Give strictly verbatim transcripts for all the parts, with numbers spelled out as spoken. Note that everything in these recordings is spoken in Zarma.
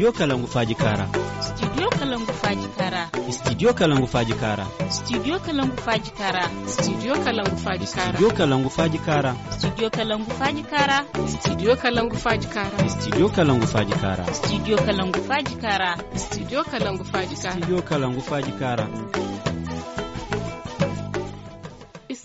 Studio Kalangu Faaji Kaara. Studio Kalangu Faaji Kaara. Studio Kalangu Faaji Kaara. Studio Kalangu Faaji Kaara. Studio Kalangu Faaji Kaara. Studio Kalangu Faaji Kaara. Studio Kalangu Faaji Kaara. Studio Kalangu Faaji Kaara. Studio Kalangu Faaji Kaara. Studio Kalangu Faaji Kaara. Studio Kalangu Faaji Kaara. Studio Kalangu Faaji Kaara.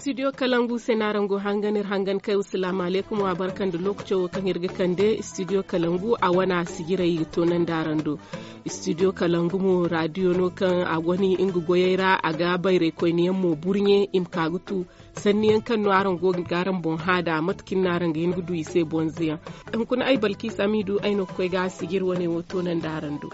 Studio Kalangu se no araŋ go hangan iri hangan kay. Salaamu alaykum, wa barka nda lookaco wo kaŋ iri ga kande studio Kalangu a wana sijirey i ga toonandi araŋ do. Studio Kalangu mo raadiyo no kaŋ a goni nga goyey ra, a ga bayraykoyne yaŋ mo burɲe i ma ka ga tu sanni yaŋ kaŋ no araŋ go ga araŋ boŋ hã nd'a mate kaŋ no araŋ ga hin ga du i se bonze yaŋ. Hunkuna ay balkiisa m'i du ay no ga koy ga sijiri wane wo toonandi araŋ do.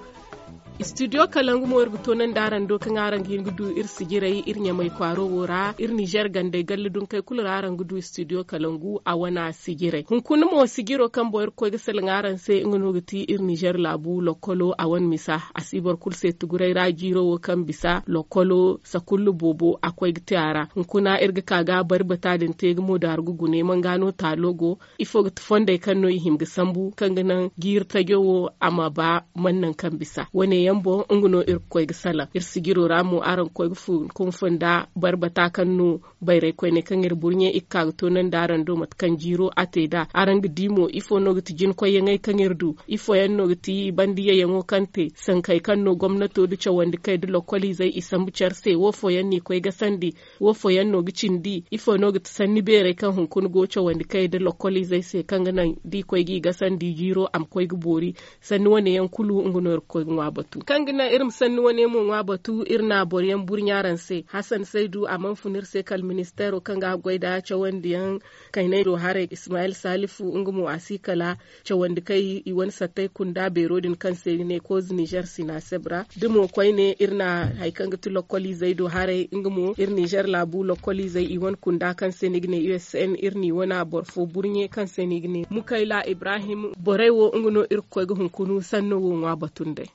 Studio Kalangu mo iri ga toonandi araŋ do kaŋ araŋ ga hin ga du iri sijirey iri ɲamay kwaaro wo ra iri nizer gandey galle dunkey kulu ra araŋ ga du studio Kalangu a wana sijirey. Hunkuna mo sijiro kaŋ boŋ iri ga koy ga salaŋ araŋ se nga no ga ti iri nizer laabu lokkolo a wane misa a si boro kulu se tuguray ra jiiro wo kaŋ bisa lokkolo sakullu boobo a koy ga te a ra. Hunkuna iri ga ka ga bari bata din te ga mo daaru ga gune manga no taalo go. Ifo ga ti fondey kaŋ no i hima ga sambu kaŋ ga naŋ jiiri tajo wo a ma ba man naŋ kaŋ bisa wane yaŋ boŋ nga no iri ga koy ga salaŋ iri sijiro ra mo araŋ ga koy ga fun kunfun nda bari bata kaŋ no bayraykoyney kaŋ iri burɲe i ga ka ga toonandi araŋ do mate kaŋ jiiro a te nd'a. Araŋ ga di mo ifo no ga ti jinkoyyaŋey kaŋ iri du? Ifo yaŋ no ga ti banda yayyaŋo kaŋ te sankey kaŋ no gomnato nda cawandi kay nda lokkoliizey i sambu care se wo fooyaŋ no i koy gasandi? Wo fooyaŋ no ga cindi ifo no ga ti sanni beerey kaŋ hunkuna go cawandi kay nda lokkoliizey se kaŋ ga naŋ da i koy g'i gasandi jiiro a ma koy ga boori? Sanni wane yaŋ kulu nga no iri ga koy ga ŋwa batu kaŋ ga naŋ iri ma sanni wane mo ŋwa batu iri na boro yaŋ burɲe araŋ se. Hasan saydu a mana fun iri se kala ministeero kaŋ ga a goy nda cawandi yaŋ kaynay do haray ismayil salifu nga mo a si kala cawandi kay i wane sattey kunda beero din kaŋ se i ga ne kooze nizer sinaseb ra da mo koyne iri na hari kaŋ ga ti lokkoliizey do haray nga mo iri nizer laabu lokkoliizey i wane kunda kaŋ se ni ga ne usn iri n'i wane boro fo burɲe kaŋ se ni ga ne mukayla ibrahim borey wo nga no iri ga koy ga hunkuna sanno wo ŋwa batu nd'ey.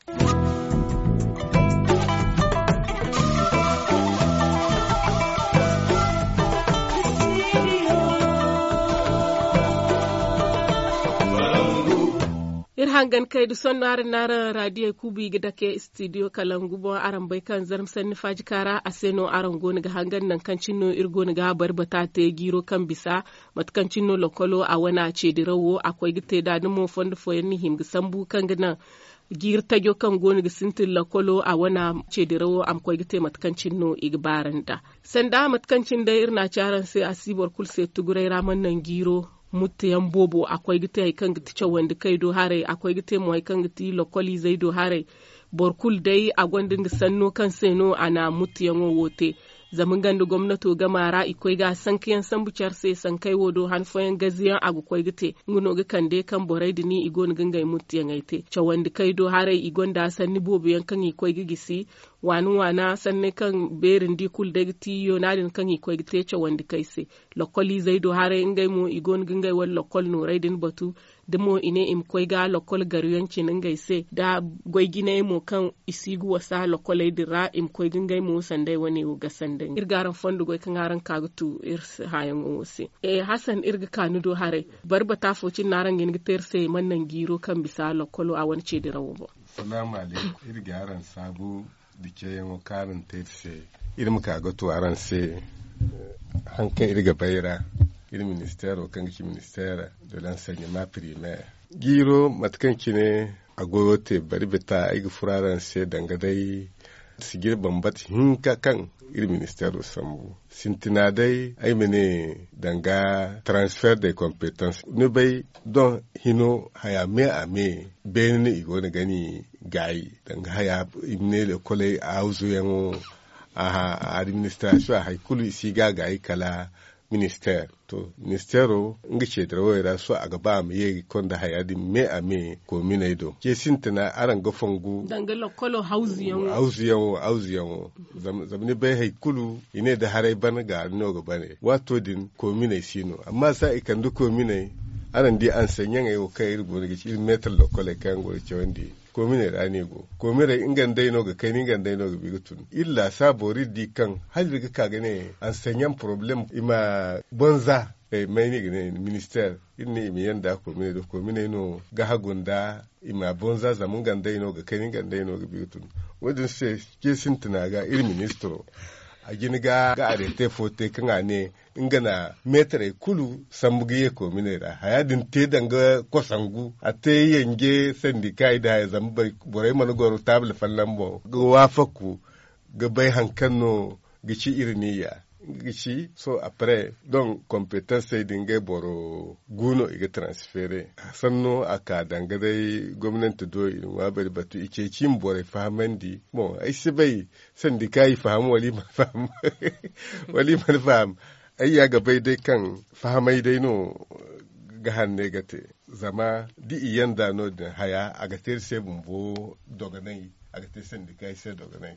Iri hangan kay da sonno araŋ na araŋ raadiyey kuubu i ga dake istidiyo kalangu boŋ araŋ bay kaŋ zarma sanni faajika ra a se no araŋ go no ga hangan naŋ kaŋ cine no iri go no ga bari bata te jiiro kaŋ bisa mate kaŋ cine no lokolo a wane a ceedirawo a koy ga te nd'a da mo fondo fooyaŋ na hima ga sambu kaŋ ga naŋ jiiri tajo kaŋ go no ga sintin lokolo a wane ceedirawo a ma koy ga te mate kaŋ cine no i ga baara nd'a. Sanda mate kaŋ cine day iri na a ci araŋ se a si boro kulu se tuguray ra mana naŋ jiiro mutteyaŋ boobo a koy ga te hari kaŋ ga ti cawandi kay do haray a koy ga te mo hari kaŋ ga ti lokoliizey do haray. Boro kulu day a gonda nga sanno kaŋ se no a na mutteyaŋo wo te. Zama nga nda gomnato gama ra i koy ga sankayaŋ sambu care se sankey wo do han fooyaŋ gaziyaŋ a ga koy ga te. Nga no ga kande kaŋ borey din i go no ga ngey mutteyaŋey te cawandi kay do haray i gonda sanni boobo yaŋ kaŋ i koy ga gisi waana waana sanney kaŋ beeri nda i kulu day ga ti yoona din kaŋ i koy ga te cawandi kay se. Lokoliizey do haray ngey mo i go no ga ngey wane lokol nooray din batu da mo i ne i ma koy ga lokol garuyaŋ cine ngey se da goy jinayey mo kaŋ i si ga wasa lokoley din ra i ma koy ga ngey mo sanday wane wo gasandi iri ga araŋ fondo goy kaŋ araŋ ka ga tu iri hãyaŋo wo se. Hasan iri ga ka ni do haray bari bata fo cine no araŋ ga hin ga te iri se mana naŋ jiiro kaŋ bisa lokolo a wane ceedirawo boŋ. Salaamu alaykum. Iri ga araŋ saabu da ceeyaŋo kaŋ araŋ te iri se. Iri ma ka ga tu araŋ se haŋ kaŋ iri ga bay ra. Iri ministeero kaŋ ga ci ministeera de lansanyama primeer jiiro mate kaŋ cine a goyo te bari bita ay ga furo araŋ se danga day sijir bambata hinka kaŋ iri ministeero sambu sintina day ay ma ne danga transfer de competence ni bay don hino haya me a me beene no i go no ga ni gaayi danga haya i ma ne lekoley awzuyaŋo. Aha administration a hari kulu i si ga gaayi kala ministeer to ministeero nga ceedirawey ra sohõ a ga ba a ma ye ga konda haya din me a me koominey do ce sintina araŋ ga fongu danga lokolo hawzuyaŋo hawzuyaŋo hawzuyaŋo zama ni bay hari kulu i ne da haray bana gaari no ga bane waato din koominey si no amma za i kande koominey araŋ di anseɲaŋey wo kaŋ iri go no ga ci iri meetar lokoley kaŋ yaŋ go ga cawandi koominey ra no i go koominey nga nda ay no ga kayna nga nda ay no ga bi ga tun iri laasaabo iri di kaŋ hala iri ga ka ga ne anseɲaŋ poroblem i ma bonza May no i ga ne ministeer iri ne i ma yanda kominey do kominey no ga hagu nda i ma boŋ za zama nga nda ay no ga kani nga nda ay no ga bi ga tun. Wo- din se ce sintina ga iri ministiro a jina ga areete fo te kaŋ a ne nga na meetarey kulu sambu ga ye kominey ra haya din te danga kosangu a te yanje sandikaay nda haya zama borey mana goro taabul folloŋ boŋ ga waafaku ga bay hari kaŋ no ga ci iri niya. Nga ga ci sohõ après donc kompetansey din ngey boro gu no i ga transfere. Sanno a ka danga day gomnanti do i na ŋwa bari batu i ceeci i ma borey fahamandi. Boŋ ay si bay sandika i faham wala i mana faham. Ay ya ga bay day kaŋ fahamay day no ga hanne ga te. Zama da i yanda no- din haya a ga te iri se bumbo dogonay. A ga te sandika i se dogonay.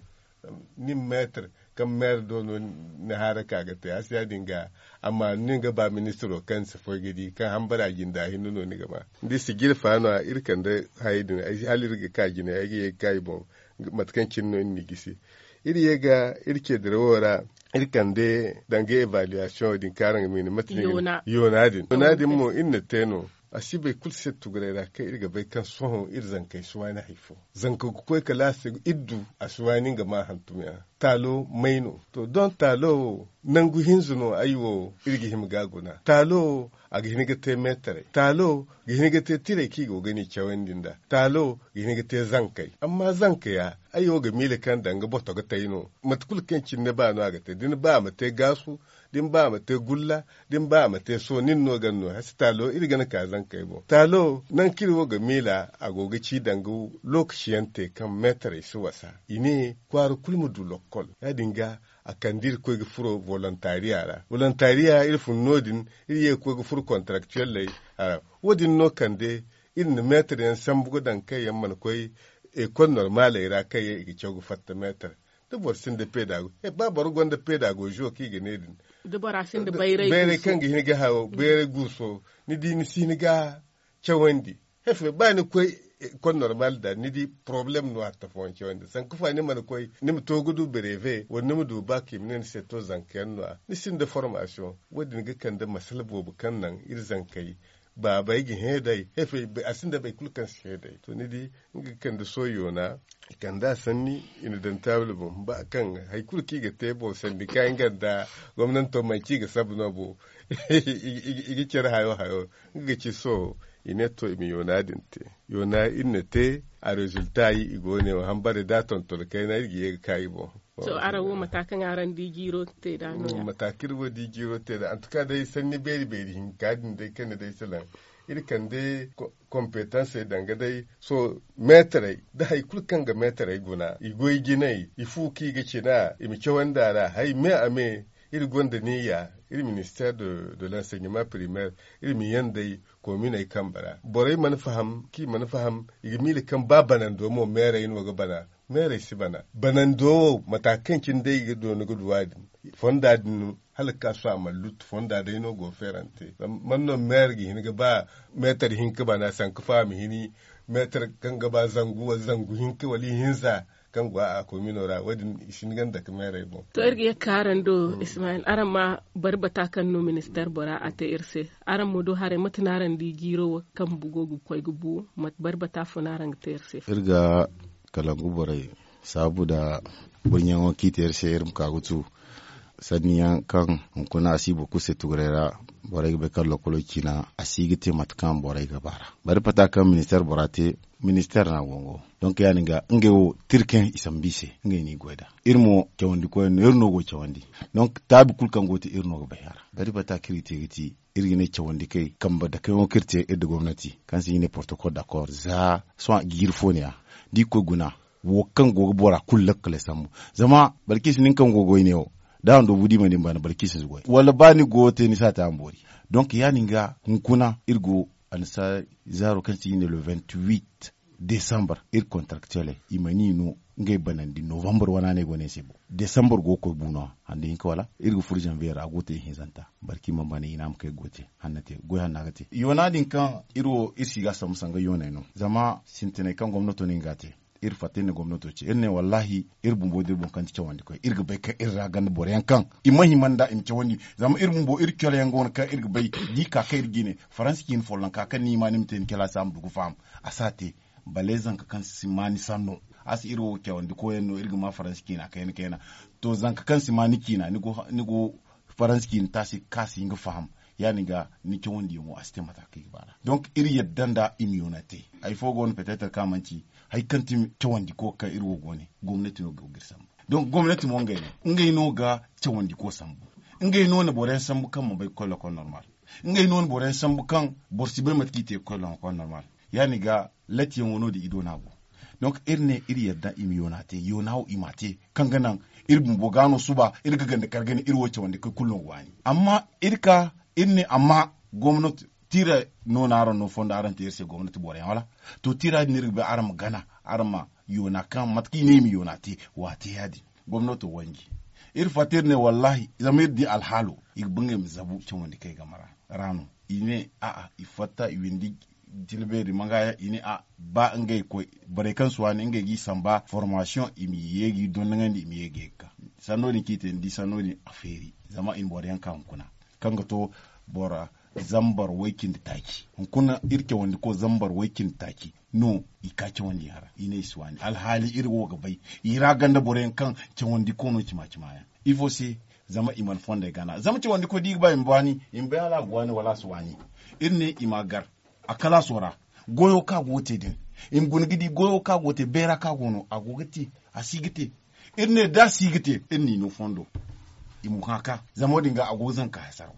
Nin meetar kaŋ meetar do no ni haara ka ga te a si ya- din ga amma ni ga ba ministiro kaŋ ni si foy ga di kaŋ hambara jinda hinne no ni ga ma. Ni di sijiri fa no- ya iri kande hayey din hala iri ga ka jine ay ga ye ga ka i boŋ. Mate kaŋ cine no iri n'i gisi iri ye ga iri ce dirawo ra. Iri kande danga evaluation din kaŋ araŋ ga miina mate no iri ga ne yoona din yoona din mo iri na te no. A si bay kulu se tuguray ra kaŋ iri ga bay kaŋ sohõ iri zankey si waani hari fo. Zanka ga koy kala a se iri du a si waani nga ma hantum yaŋ. Taalo may no to doŋ taalo wo nangu hinza no ay wo iri ga hima ga guna taalo wo a ga hin ga te meetaray taalo ga hin ga te tiray kaŋ i go ga ni cawandi nd'a. Taalo ga hin ga te zankey amma zanka ya ay wo ga miila kaŋ danga boto ga tay no. Mate kulu kaŋ cine ni ba no a ga te da ni ba a ma te gaasu da ni ba a ma te gulla da ni ba a ma te sohõ nin no ga ni no hasi taalo iri ga ni ka zankey boŋ taalo nangu kaŋ iri wo ga miila a go ga ci danga lookaci yaŋ te kaŋ meetarey si wasa i ne kwaara kulu ma du lokkol ya- din ga a kande iri ga koy ga furo volontariya ra volontariya iri fun no- din iri ye ga koy ga furo kontaraktuwelley. Wo- din no kande iri na meetar yaŋ sambu ga daŋ kaŋ yaŋ mana koy ekol normaley ra kaŋ yaŋ i ga caw ga fatta meetar. Da boro sinda peedago ba boro gonda peedagozo kaŋ i ga ne din bayray kaŋ ga hin ga hayo bayray guuso ni di ni si hin ga cawandi. Hefe ba ni koy ekol normal da ni di porobalem no hatta fooyaŋ cawandi sanka fa ni mana koy ni ma to ga du bereeve wala ni ma du baak i ma ne ni se to zanka yaŋ no- ya ni sinda formasiyoŋ. Wo- din ga kande masala boobo kaŋ naŋ iri zankey baabey ga hẽ day. A sinda boro kulu kaŋ si hẽ day to ni di nga ga kande sohõ yoona i kande a sanni i na daŋ taabul boŋ ba kaŋ hari kulu kaŋ i ga te boŋ sandika nga nda gomnanto manci i ga sabu no boŋ. I ga care hayo hayo nga ga ci sohõ i ne to i ma yoona din te. Yoona iri na te a rezulta i go ne wo hambare da a tonton kayna iri ga ye ga ka i boŋ. To araŋ wo mata kaŋ araŋ di jiiro te nd'a no- ya mata kaŋ iri wo di jiiro te nd'a antuka day sanni beeri beeri hinka din day kaŋ ni day salaŋ iri kande kompetansey danga day sohõ meetarey da hari kulu kaŋ ga meetarey guna i goy jinay i fu kaŋ i ga cina i ma cawandi a ra hari me a me. Iri gonda niya iri ministeer de l'enseignement primaire iri ma yandey kominey kambe ra borey mana faham kaŋ i mana faham i ga miila kaŋ ba banando mo meerey no ga bana. Meerey si bana banando wo mata kaŋ cine day i ga doona ga du a din fonda din hala ga ka sohõ a mana luttu fonda day no go feerante. Man no meer ga hin ga ba meetar hinka bana sanka fo a ma hini meetar kaŋ ga ba zangu wala zangu hinka wala ihinza kaŋ go a komino ra wo- din i si hin ga nda ka meerey boŋ. To iri ga ye ga ka araŋ do ismayil araŋ ma bari bata kaŋ no ministeer bora a te iri se. Araŋ ma du haray mate no araŋ di jiiro wo kaŋ go ga koy ga bu? Bari bata fo no araŋ ga te iri se iri ga kalangu borey saabu nda burɲaŋo kaŋ i te iri se iri ma ka ga tu sanni yaŋ kaŋ hunkuna a si boro kulu se tuguray ra. Borey ga bay kaŋ lokkolo ciina a si ga te mate kaŋ borey ga ba ra. Bari pata kaŋ ministeer bora te ministeer no a go nga wo. Donk ya- din ga ngey wo tirkaŋ i sambu i se ngey no i goy nd'a. Iri mo cawandi koyyaŋ no iri no go ga cawandi. Donk taabi kulu kaŋ go ga te iri no ga bay a ra. Bari pata kaŋ iri ga te ga ti iri ga ne cawandi kay kambe dakayaŋo kaŋ iri te iri nda gomnati kaŋ se i ga ne portokol dakor za sohõ jiiri fo ne- ya da i ga koy guna wo kaŋ go ga bora kulu lakkaley sambu. Zama balkiisa nin kaŋ go ga goy ne wo da a na doobu da i mana ni bana balkiisa si goy wala ba ni go ga te ni si a te a ma boori. Donk ya- din ga hunkuna iri go annasaara zaaro kaŋ se i ga ne le vingt-huit desambar iri kontarakteley i mana i no ngey banandi novambar wana no ay go no ay se boŋ. Desambar go ga koy bu no-ya hando hinka wala iri ga furo zanviye ra a go ga te ihinzanta barki ma bana i ne a ma kay ga goy te hanna te goy hanna ga te yoona din kaŋ iri wo iri si ga a sambu sanga yooney no. Zama sintinay kaŋ gomnato no nga ga a te Iri fatta iri ne gomnato ce iri ne wallahi iri bumbo da iri boŋ kaŋ ti cawandi koy iri ga bay kaŋ iri ra ganda boro yaŋ kaŋ i ma hima nda i ma cawandi. Zama iri bumbo iri coro yaŋ go no kaŋ iri ga bay da i ka kaŋ iri ga i ne faransi ciina folloŋ ka kaŋ ni hima ni ma te ni calaasi a ma du ga faham. A si a te. Bale zanka kaŋ si ma ni sanno a si iri wo cawandi koyaŋ no iri ga ma faransi ciina kayna kayna. To zanka kaŋ si ma ni ciina ni go faransi ciina taasi ga ka si hin ga faham. Ya- din ga ni cawandiyaŋo a si te mate kaŋ i ga ba nd'a donk iri yadda nda i ma yoona te. Hari fo go no peteetar kaŋ a manti hari kaŋ ti cawandiko kaŋ iri wo go ne. Gomnati no ga go ga iri sambu. Donk gomnati mo ngey no ga cawandiko sambu. Ngey no na boro yaŋ sambu kaŋ ma bay ga koy lokol normal. Ngey no na boro yaŋ sambu kaŋ boro si bay mate kaŋ i te ga koy lokol normal. Ya- din ga latiyaŋo no- din i do no a go. Donk iri ne iri yadda i ma yoona te yoona wo i m'a te kaŋ ga naŋ iri bumbo ga no suba iri ga ganda kar ga ne iri wo cawandi kaŋ kulu no ga waani. Amma iri ka iri ne amma gomnati tiira no no araŋ no fondo araŋ te iri se gomnati boro yaŋ wala? To tiira din no iri ga bay araŋ ma gana araŋ ma yoona kaŋ mate kaŋ i ne i ma yoona te. Wa te ya- din gomnato wanji. Iri fatta iri ne wallahi zama iri di alhaalo i ga ba ngey ma zabu cawandi kaŋ i game ra. Ra no i ne a'a i fatta i windi. Jina beeri manga yaŋ i ne a ba ngey koy borey kaŋ si waani ngey ga i samba formasiyoŋ i ma ye ga i dondoŋandi i ma ye ga ye ga ka. Sanno din kaŋ i te ni di sanno din a feeri. Zama i na boro yaŋ ka hunkuna kaŋ ga to boro zambar way-cindi taaci hunkuna iri cawandi koy zambar way-cindi taaci no i ka cawandi yaŋ ra i ne i si waani alhaali iri wo ga bay. I ra ganda boro yaŋ kaŋ cawandi koy no cima cima yaŋ ifo se? Zama i mana fondey gana zama cawandi koy da i ga ba i ma waani i ma bay hala a ga waani wala a si waani. Iri ne i ma a gar a kalaaso ra goyo kaŋ a go ga te din. I ma guna ga di goyo kaŋ a go ga te beera kaŋ a go no a go ga te a si ga te. Iri ne da a si ga te iri n'i no fondo i ma hã ka zama wo- din ga a go ga zanka hasaraw.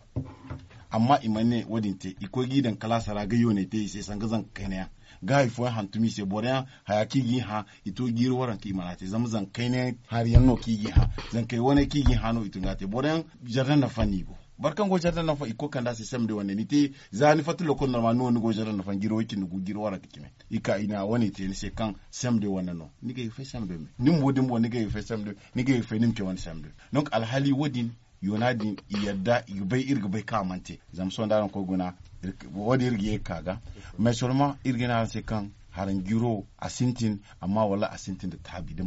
Amma i mana ne wo- din te i koy ga i daŋ kalaasa ra ga yooney te i se sanga zanka kayna yaŋ ga hari fooyaŋ hantum i se boro yaŋ haya kaŋ i ga i hã i to jiiri waranka i mana te zama zanka kayna yaŋ hari yaŋ no kaŋ i ga i hã. Zankey wane kaŋ i ga i hã no i tun ga a te boro yaŋ jardan nafa no i go. Boro kaŋ go jardan nafa i ga koy kande a se sem de wane ni te za ni fatta lokol normal no ni go jardan nafa jiiri way- cindi gu jiiri waranka cine. I ka i na wane te ni se kaŋ sem de wane no ni ga ay ga fay sem de me ni bumbo da ni bumbo ni ga ay ga fay sem de. Ni ga ay ga fay ni ma ce wane sem de. Donk alhaali wo- din yoona din i yadda i ga bay iri ga bay kaŋ a mana te zama sohõ da araŋ koy guna. Wo- din iri ga ye ga ka ga mais solman iri ga ne araŋ se kaŋ haranjiiro a sintin amma wallaahi a sintin nda taabi nda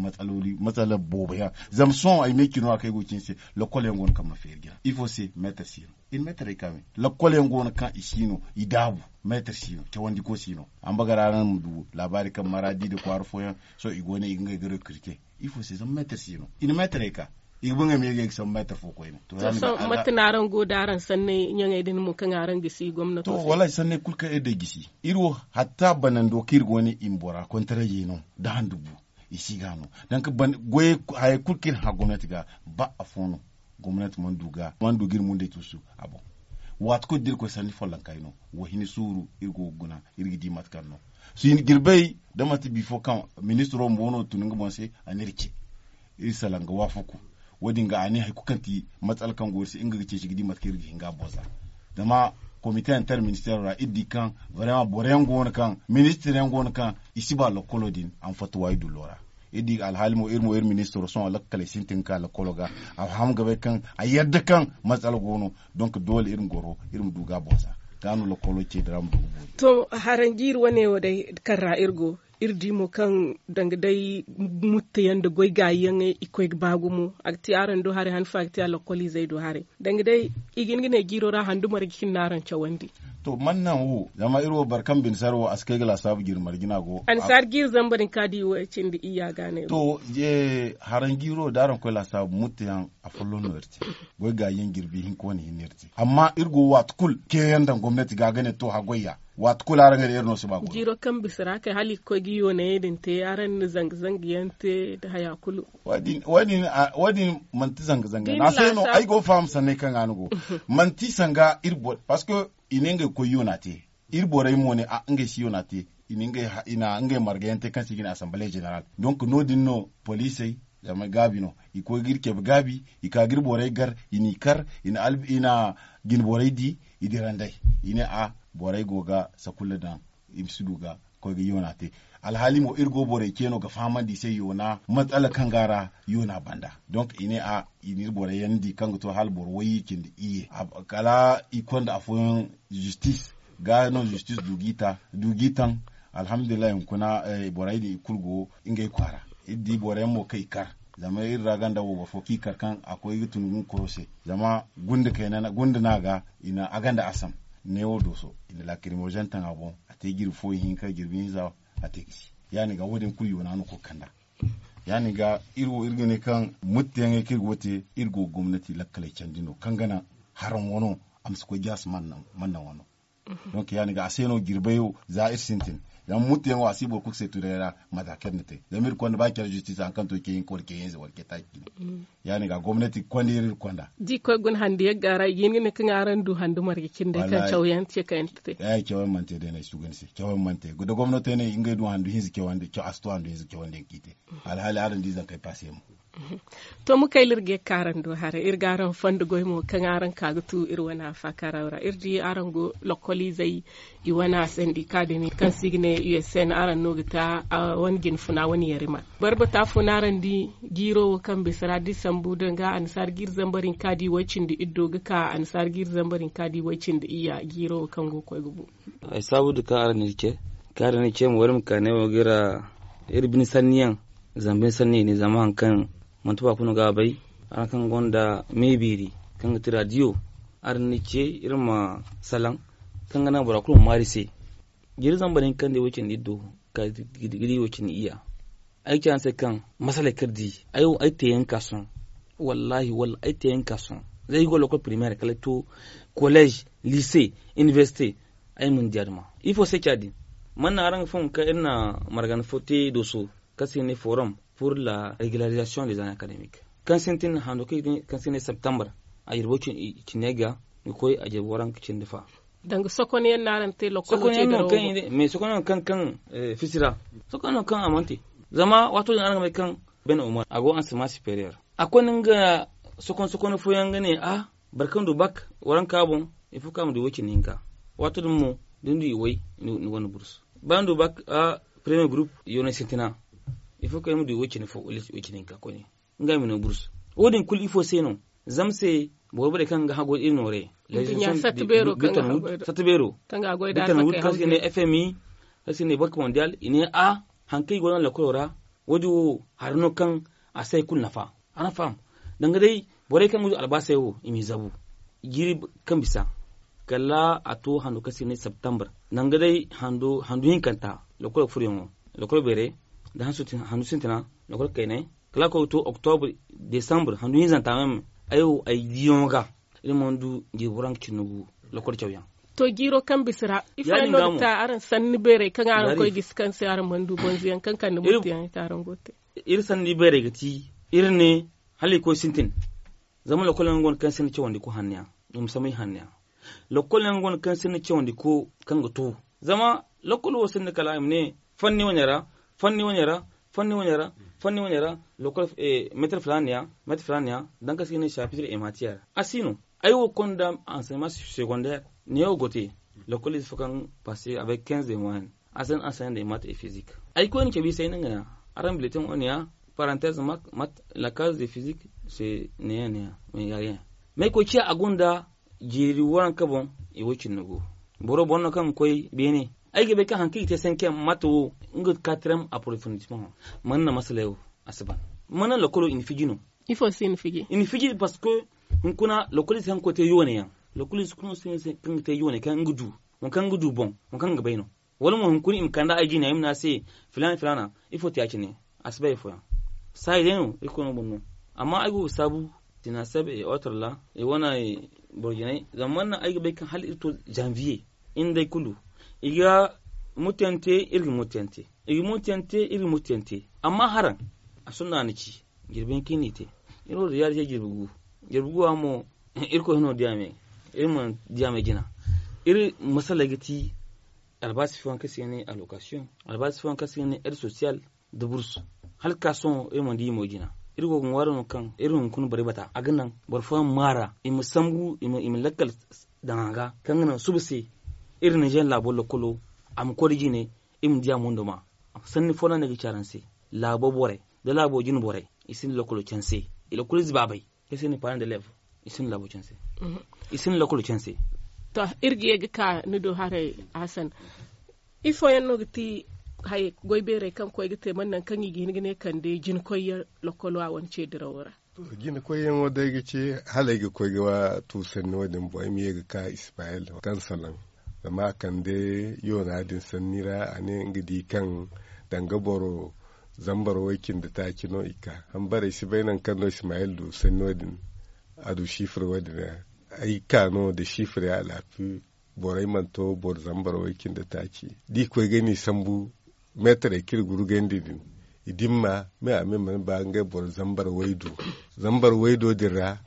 matsala boobo yaŋ. Zama sohõ ay ma ay cino ra kaŋ ay go ga ci ni se lokol yaŋ go no kaŋ mana feeri jina ifo se meetar si no. I na meetarey ka me lokol yaŋ go no kaŋ i si no i daabu. Meetar si no cawandiko si no. Ambagara araŋ ma du laabaari kaŋ maraadi nda kwaara fooyaŋ sohõ i go ne i ga ngey ga rekrite. Ifo se zama meetar si no i na meetarey ka i ga ba ngey ma ye ga ay ga sambu meetar fo koyne. To sohõ mate no araŋ go nda araŋ sanney ɲaŋey din mo kaŋ araŋ gisi gomnato se? Wallaahi sanney kulu kaŋ iri day gisi iri wo hatta banando kaŋ iri go ne i ma bora kontarayey no nda handu bu. I si ga no donk goyey hayey kulu kaŋ iri hã gomnati ga ba afo no. Gomnati mana du ga iri mundey tuusu a boŋ. Waati kulu da iri koy sanni follonka yaŋ no wo- hini suuru iri go ga guna iri ga di mate kaŋ no. Jirbey da manti bifo kaŋ ministiro bumbo no tun nga boŋ se a n'iri ce iri salaŋ ga waafaku. Wo- din ga a ne hari kulu kaŋ ti matsala kaŋ go iri se nga ga ceeci ga di mate kaŋ iri ga hin ga a boŋ za. Zama komite interministeero ra iri di kaŋ boro yaŋ go no kaŋ ministir yaŋ go no kaŋ i si ba lokkolo din a ma fatta waayi dullo ra. Iri di alhaali mo iri mo iri ministiro sohõ lakkaley sintin ga ka lokkolo ga a faham ga bay kaŋ a yadda kaŋ matsala go no. Donk doole iri ma goro iri ma du ga a boŋ za ga no lokkolo ce dira ma du ga boori. To haranjiiri wane wo day kaŋ ra iri go iri di mo kaŋ danga day mutta yaŋ nda goy gaayi yaŋey i koy ga ba gumo a ga te araŋ do haray han fo a ga te a lokkoliizey do haray. Danga day i ga hin ga ne jiiro ra handu marje cine no araŋ cawandi. To man naŋ wo zama iri wo boro kaŋ bine sara wo a si kay ga laasaabu jiiri marje no a go. A na si hari jiiri zamba din kaŋ a di wo cindi iyya ga ne. To haranjiiro da araŋ koy laasaabu mutta yaŋ a folloŋ no iri te. Goy gaayi yaŋ jirbi hinka wane hinne iri te amma iri go waati kulu ceeyaŋ daŋ gomnati ga ga ne to haggoy ya. Waati kulu araŋ ga ne iri no si ba goy. Jiiro kaŋ bisa ra kay hala i ga koy ga yoonayey din te araŋ na zanga zanga yaŋ te nda haya kulu. Wo- din manti zanga zanga yaŋ no a se no ay go ga faham sanney kaŋ ga ni go. Manti sanga iri boro parceque i ne ngey ga koy yoona te. Iri borey mo ne a ngey si yoona te. I na ngey marga yaŋ te kaŋ se i ga ne assemblee général donk no- din no poliisey zama gaabi no i koy ga iri cabe gaabi i ka ga iri borey gar i n'i kar i na jinborey di. I dira nd'ey i ne a borey go ga sakulla daŋ i ma si du ga koy ga yoona te. Alhaali mo iri go borey ce no ga fahamandi i se yoona matsala kaŋ go a ra yoona banda. Donk i ne a i na iri borey yaŋ di kaŋ ga to hala boro wayye cindi iyye kala i konda afooyaŋ zistis ga no zistis du g'i taŋ. Alhamdulillahi hunkuna borey din i kulu go ngey kwaara. Iri di boro yaŋ mo kaŋ i kar zama iri ra ganda wo boro fo kaŋ i kar kaŋ a koy ga tun ga nga koyo se. Zama gunde kayna gunde no a ga i na a ganda asam. Neewo dooso i na laakirimozen taŋ a boŋ. A te jirbi fo ihinka jirbi hinza a te gisi. Ya- din ga wo- din kulu yoona no koy ga kand'a. Ya- din ga iri wo iri ga ne kaŋ mutteyaŋey kaŋ iri go ga te iri go ga gomnati lakkaley candi no kaŋ ga naŋ haraŋ wano a ma si koy jaasi mannaŋ wano. Donc ya- din ga a se no jirbey wo za iri sintin zama mutteyaŋ wo a si boro kulu se tunay ra. Mate kaŋ iri na te zama iri konda ba care justice hari kaŋ to ceehinka wala ceehinza wala ceetaaci cine. Ya- din ga gomnati ga konda iri iri konda. Da i koy guna handu yagga ra i ga hin ga ne kaŋ araŋ du handu marga cindey kaŋ cawyaŋ te kaŋ yaŋ te. Cawyaŋ mana te day no ay si tu ga ni se cawyaŋ mana te da gomnati ne ngey du handu hinza cawandi a si to handu hinza cawandi yaŋ kaŋ i te. Alhaali araŋ di zankey paase mo. To ma kay iri ga ye ga ka araŋ do haray iri ga araŋ fondo goy mo kaŋ araŋ ka ga tu iri wane afaakaraw ra iri di araŋ go lokoliizey i wane a sandi kaadimi kaŋ se i ga ne usn araŋ no ga ta wane jinfuna wane yarima. Barbata fo no araŋ di jiiro wo kaŋ bisa ra da i sambu danga annasaara jiiri zambar hinka da i way-cindi iddo ga ka annasaara jiiri zambar hinka da i way-cindi iyya jiiro wo kaŋ go ga koy ga bu. Ay saabu da kaŋ araŋ na iri ce kaŋ araŋ na iri ce ma wara ma ka ne wo ga iri bine sanni yaŋ zama bine sanni i ne zama hari kaŋ manti ba kulu no ga a bay. Araŋ kaŋ gonda me beeri kaŋ ga ti raadiyo araŋ na iri ce iri ma salaŋ kaŋ ga naŋ bora kulu ma maa iri se. Jiiri zambar hinka nda i way-cindi iddo ga di i way-cindi iyya. Ay ga ci araŋ se kaŋ masaley kaŋ iri di ay te yaŋ ga ka sohõ. Wallaahi walla ay te yaŋ ga ka sohõ. Za ay go lokol primeer kala ay to koleez, liise, inibersite. Ay mana di a duma ifo se ci a din? Mana araŋ ga faham kaŋ iri na margana fo te dooso kaŋ se i ga ne forum pour la regularizasiyoŋ de zane akademik kaŋ sintin hando kaŋ se i ga ne septembre a jirbo cine ga ga koy a jirbo waranka cindi fa. Danga sokonyaŋ no araŋ te lokolo te dirawo. Mais sokonyaŋ kaŋ kaŋ fisi ra sokonyaŋ kaŋ a mana te. Zama waato din araŋ ga bay kaŋ ben umar a go ansama superior a koy no nga sokon sokon fooyaŋ ga ne a boro kaŋ du bak waranka boŋ. Il faut kaŋ a ma du way cindi hinka. Waato din mo da ni du i way ni gonda burus ba ni du bak a premier group yoonay sintina. Il faut kaŋ ay ma du way cindi fo way cindi hinka koyne. Nga ay ma no burus wo- din kulu ifo se no? Zama se boro borey kaŋ ga haggoy iri noore. Satta beero kaŋ ga haggoy da fmi kaŋ se ne bank mondial i ne a hari kaŋ i go no lakkolo ra. Wo- din wo hari no kaŋ a se hari kulu nafa. Araŋ faham? Danga day borey kaŋ ga du albaasey wo i m'i zabu jiiri kaŋ bisa kala a to hando kaŋ se ne septembre. Danga day handu hinkanta lakkolo furyaŋo lakkolo beerey da handu sintina lakkolo kayney kala a koy ga to octobre, decembre handu hinzanta meme. Ay wo ay diyaŋo ga iri mana du jirbi waranka cindi gu. Lakkol cawyaŋ. To jiiro kaŋ bisa ra ifo yaŋ no ga ta araŋ sanni beerey kaŋ araŋ koy gisi kaŋ se araŋ mana du bonzo yaŋ kaŋ kande murti yaŋ i te araŋ go ga te. Iri sanni beerey ga ti iri ne hala i koy sintin. Zama lakkol yaŋ go no kaŋ sinda cawandi ku hanno yaŋ i ma samay hanno yaŋ. Lakkol yaŋ go no kaŋ sinda cawandi ku kaŋ ga to. Zama lakkol wo sinda kala i ma ne fanni wane ra fanni wane ra fanni wane ra fanni wane ra. Lakkol meetar filaana ya meetar filaana ya. Danga kaŋ se i ga ne sapitir ematiyeer a si no. Ay wo konda ansayma secondaire ne wo go te. Lakkol ize fo kaŋ passe avec quinze de moyen a si ne ansayma de mat et physique. Ay koy ni cabe i se ay ne nga ya araŋ bileteŋ wane ya. Parantez mat la case de physique se ne ya ne ya mais ya rien. Mais ay koy ciya a gonda jeeri waranka boŋ. I wo cindi go boro boŋ no kaŋ ga koy beene. Ay ga bay kaŋ hari kaŋ i ga te senkem mate wo nga katrem approfondissement. Mana na masaley wo a si ban mana lakkolo i na fiji no? Ifo se i na fiji i na fiji parce que hunkuna lakkolo ize kaŋ ga koy te yoone yaŋ. Lakkolo ize kaŋ ga te yoone kaŋ nga du waŋ kaŋ nga du boŋ waŋ kaŋ ga bay no. Wala mo hunkuna i ma kande ay jine ay ma ne a se filaana filaana ifo te ya- cine. A si bay afooyaŋ saayi day no irkoy no boŋ no. Amma ay go ga saabu jina sabe et autre ra i wane boro jinay zama mana ay ga bay kaŋ hala iri to janvier. Iri nda ay kulu i ga mutante iri ga mutante. I ga mutante iri ga mutante. Amma haraŋ a sonda a na ci jirbi hinka iri n'i te. Iri wo da yaadi se jirbi gu jirbi gu a mo irkoy hino diya me. Iri mana diya me jina. Iri masaley ga ti albaasi fooyaŋ kaŋ se i ga ne alokasiyoŋ albaasi fooyaŋ kaŋ se i ga ne ed sosiyal da bursu. Hala ga ka sohõ iri mana di i mo jina. Iri go ga ŋwaari no kaŋ iri hunkuna borey bata a ga naŋ boro fooyaŋ ma maara i ma sambu i ma lakkal daŋ a ga kaŋ ga naŋ suba se iri ninzeer laabo lakkolo a ma koy da jine. Iri ma di a mondo ma sanni fo no a ne ga ci araŋ se. Laabo borey da laabo jine borey i sinda lakkolo canse. Lakkoliize baabey kaŋ se i ne parent de leve i sinda laabo canse. I sinda lakkolo canse. To iri ga ye ga ka ni do haray hasan. Ifo yaŋ no ga ti goy beerey kaŋ koy ga te man naŋ kaŋ i ga hin ga ne kande jina koy yaŋ? Lokolo a wane ce dirawo ra. Jina koy yaŋo day ga ce hala ay ga koy ga tu sanni wo- din boŋ ay ma ye ga ka ismayel kaŋ salaŋ zama a kande yoona din sanni ra a ne nga di kaŋ danga boro zambar way cindi taaci no i ka. Hambarey si bay naŋ kaŋ no ismayel du sanni wo- din a du sifir wo- din ra. Ay ka no da sifir ya alaafi borey mana to boro zambar way cindi taaci da i koy ga ni sambu meetarey kaŋ iri gurgandi din i dimma me a me mana ba ngey boro zambar waydu. Zambar waydo din ra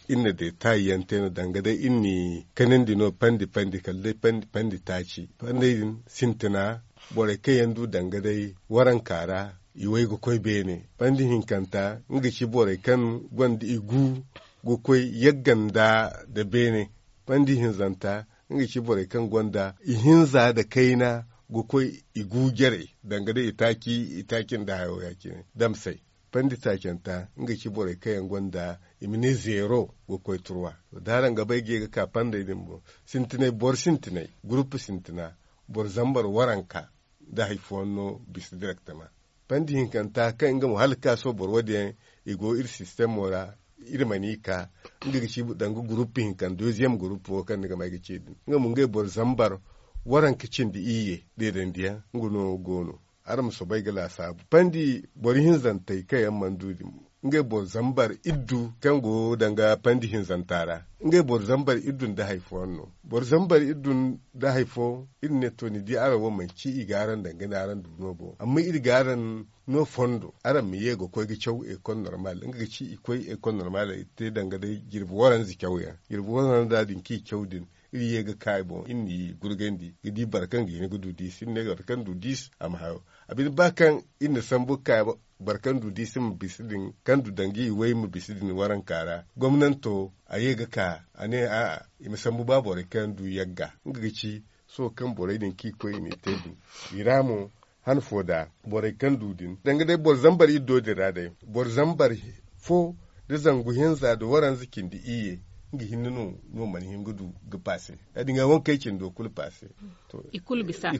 iri na detayi yaŋ te no danga day iri ni kanandi no pandi pandi kala day pandi taaci. Pandey din sintina borey kaŋ yaŋ du danga day waranka ra i way ga koy beene. Pandi hinkanta nga ga ci borey kaŋ gonda i gu ga koy yagga nda beene. Pandi hinzanta nga ga ci borey kaŋ gonda i hinza nda kayna ga koy i gu jarey danga day i taaci nda hayo ya- cine damsey. Pandi taacanta nga ga ci borey kaŋ yaŋ gonda i ma ne zeero ga koy turwa. Da araŋ ga bay ga ye ga ka pandey din boŋ sintinay boro sintinay gurupu sintina boro zambar waranka nda hari fooyaŋ no bisa direktama. Pandi hinkanta kaŋ nga mo hala ga ka sohõ boro wo- din yaŋ i go iri sistemo ra. Iri mana i ka nga ga ci danga gurupu hinka nda doziyem gurupu wo kaŋ ni ga ma ay ga ce din nga mo ngey boro zambar waranka cindi iyye deedandiyaŋ nga no go no. Araŋ ma soobay ga laasaabu pandi boro hinzantey kaŋ yaŋ mana du din ngey boro zambar iddu kaŋ go danga pandi hinzanta ra. Ngey boro zambar iddu nda hari fooyaŋ no. Boro zambar iddu nda hari fo iri ne to ni di araŋ wo manci i ga araŋ daŋ ga ne araŋ du no boŋ amma iri ga araŋ no fondo araŋ ma ye ga koy ga caw ekol normal nga ga ci i koy ekol normal i te daŋ ga day jirbi waranza cawyaŋ jirbi waranza din kaŋ i caw din. Iri ye ga ka i boŋ iri n'i gurgandi ga di boro kaŋ ga hin ga du diisi iri ne boro kaŋ du diisi a ma hayo. A bine ba kaŋ iri na sambu ga ka boro kaŋ du diisi ma bisa din kaŋ du daŋ ga i way ma bisa din waranka ra gomnanto a ye ga ka a ne a'a i ma sambu ba borey kaŋ du yagga nga ga ci sohõ kaŋ borey din kaŋ i koy i n'i te din. I ra mo han fo da borey kaŋ du din danga day boro zambar iddo din ra day boro zambar fo da zangu hinza da waranza cindi iyye nga hinne no no mana hin ga du ga paase. Ya- din ga wankey cindo kulu paase. I kulu bisa i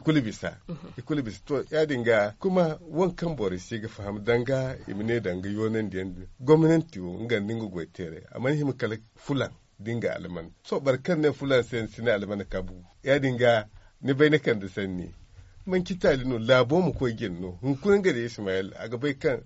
kulu bisa to ya- din ga kuma waŋ kaŋ borey si ga faham danga i ma ne danga yoonandiyaŋ din gomnanti wo nga nda nga goy teeray a mana hima kala fulaŋ da nga alman. Sohõ boro kaŋ ne fulaŋ se ni si ne alman kabu ya- din ga ni bay ni kande sanni. Manci taali no laabo ma koy jine no hunkuna nga da ismayel a ga bay kaŋ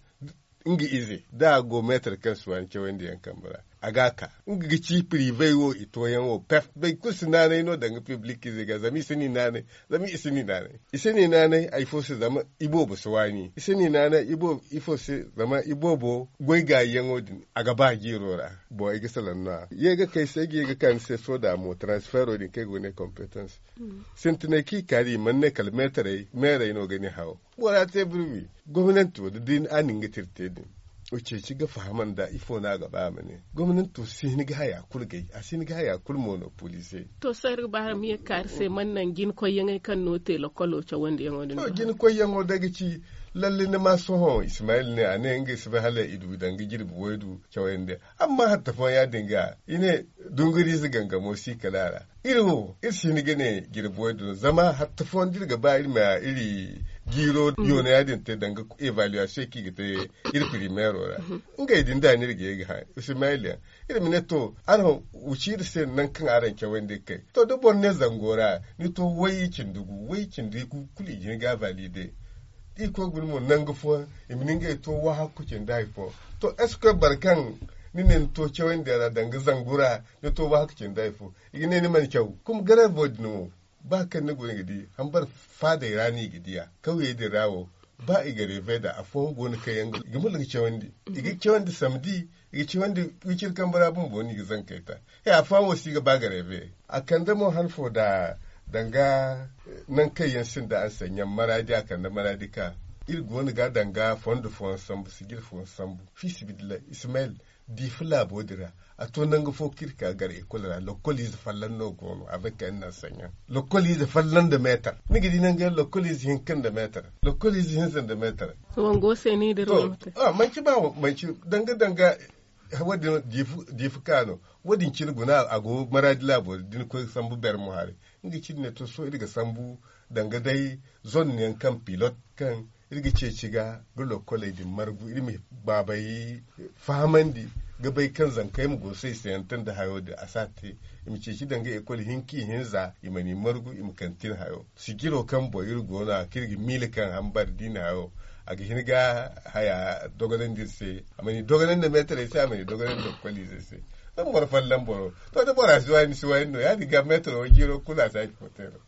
nga ize da a go meetar kaŋ si waani cawandi yaŋ kambe ra a ga a ka nga ga ci piribey wo i tooyaŋ wo pep boro kulu si naanay no danga piblik ize ga zama i si ni naanay. Zama i si ni naanay i si ni naanay hari fo se zama i boobo si waani i si ni naanay ifo se zama i boobo goy gaayi yaŋo din a ga ba jiiro ra. Boŋ ay ga salaŋ no a ye ga kay se ay ga ye ga ka ni se soda mo transfero din kaŋ ay go ga ne kompetans sintinay kaŋ i ka da i mana ne kala meetarey meerey no ga ni haw. Bora te birbi gomnanti wo da day a na nga tira te din. Ceeci ga faham nda ifo no a ga ba a ma ne gomnanto si hin ga haya kulu gay a si hin ga haya kulu monopolize. To sohõ iri ga ba araŋ ma ye ga kaari se mana naŋ jina koyyaŋey kaŋ no te lokolo cawandiyaŋo din. To jina koyyaŋo day ga ci lalle ni ma sohõ ismayil ne a ne ngey si bay hala i du danga jirbi waydu cawandiyaŋ. Amma hatta fooyaŋ ya- din ga i ne dunguriize gangamo si kala a ra. Iri wo iri si hin ga ne jirbi waydu no zama hatta fooyaŋ da iri ga ba iri ma iri jiiro yoona ya- din te danga evaluation kaŋ i ga te iri primeero ra. Ngey din da no iri ga ye ga hã ismayil yaŋ iri ma ne to araŋ wuci iri se nangu kaŋ araŋ cawandi ga kay. To da boro ne zango ra ni to way cindi gu way cindi gu kulu i ga hin ga valide. Iri koy guna mo nangu fooyaŋ i ma ni ngey to wahakku cindi hari fo. To est ce que boro kaŋ ni ne ni to cawandi ra danga zangu ra ni to wahakku cindi hari fo i ga ne ni mana caw kuma garevo din wo. Ba kaŋ ni go ni ga di hambar faadey ra no i ga di a kawyey din ra wo. Ba i ga reeve nd'a afooyaŋ go no kaŋ yaŋ ga murla ga cawandi i ga cawandi samdi i ga cawandi wiciri kambe ra bumbo no i ga zankey ta. He afooyaŋ wo si ga ba ga reeve a kande mo han fo da danga nangu kaŋ yaŋ sinda anseɲaŋ maraadi a kande maraadi ka iri go no ga danga fondo fooyaŋ sambu sijir fooyaŋ sambu fi sibidillahi ismayil diifa laabo din ra. A to nangu fo kaŋ iri ka gar ekol ra lokoliize folloŋ no go no avec un enseignant lokoliize folloŋ nda meetar ni ga di nangu yaŋ lokoliize hinka nda meetar lokoliize hinza nda meetar. Wango se ni dira wala mate? Manci ba manci danga danga Wo- din diifu ka no. Wo- din cine guna a go maraadi laabo da ni koy ga sambu bermo haray. Nga cine ne to sohõ iri ga sambu danga day zone yaŋ kaŋ pilot kaŋ iri ga ceeci ga ga lokkoley din margu iri ma baabey fahamandi ga bay kaŋ zankey ma go saysayantaŋ nda hayo din a si a te. I ma ceeci danga ekol hinka ihinza i ma ni margu i ma kantin hayo sijiro kaŋ boŋ iri go no a kaŋ iri ga miila kaŋ hambar da i na hayo a ga hin ga haya dogonandi iri se. A ma ni dogonandi nda meetarey se a ma ni dogonandi nda kwaliizey se. Zama boro folloŋ boro to da bora si waani si waani no ya- din ga meetaro jiiro kulu a si a ci foteero.